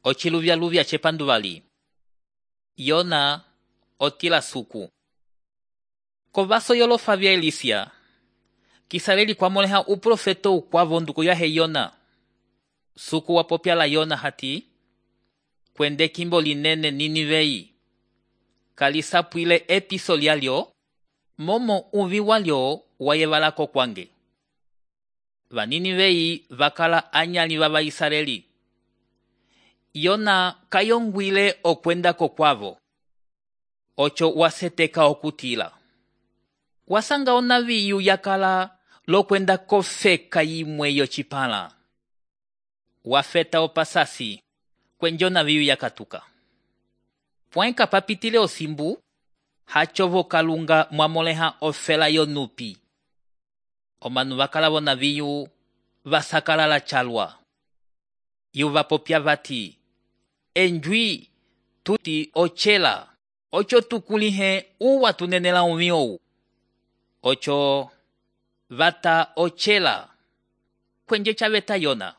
ociluvyaluvya cepanduvali. Yona otila suku. Kovaso yolofa vya Elisia, kisaleli kwamoleha uprofeto ukwavo nduku yahe Yona. Suku wapopyala Yona hati, kwende kimbo linene Ninivei. Kalisapwile episo lyalyo, momo uvi walyo wayevalako kwange. Vaninivei vakala anyali vava Israeli. Yona kayongwile okwendako kwavo. Ocho waseteka okutila. Wasanga onaviyu yakala lokwenda kofeka yimwe yocipala. Wafeta opasasi, kwenjona viyu yakatuka. Pwenka papitile osimbu, hachovo kalunga mwamoleha ofela yonupi. Omanu vakala vona viyu vasakala la chalwa. Yu vapopya vati, enjwi tuti ochela, ocho tukulihe uwa tunenela umiowu. Ocho vata ochela, kwenje chaveta Yona.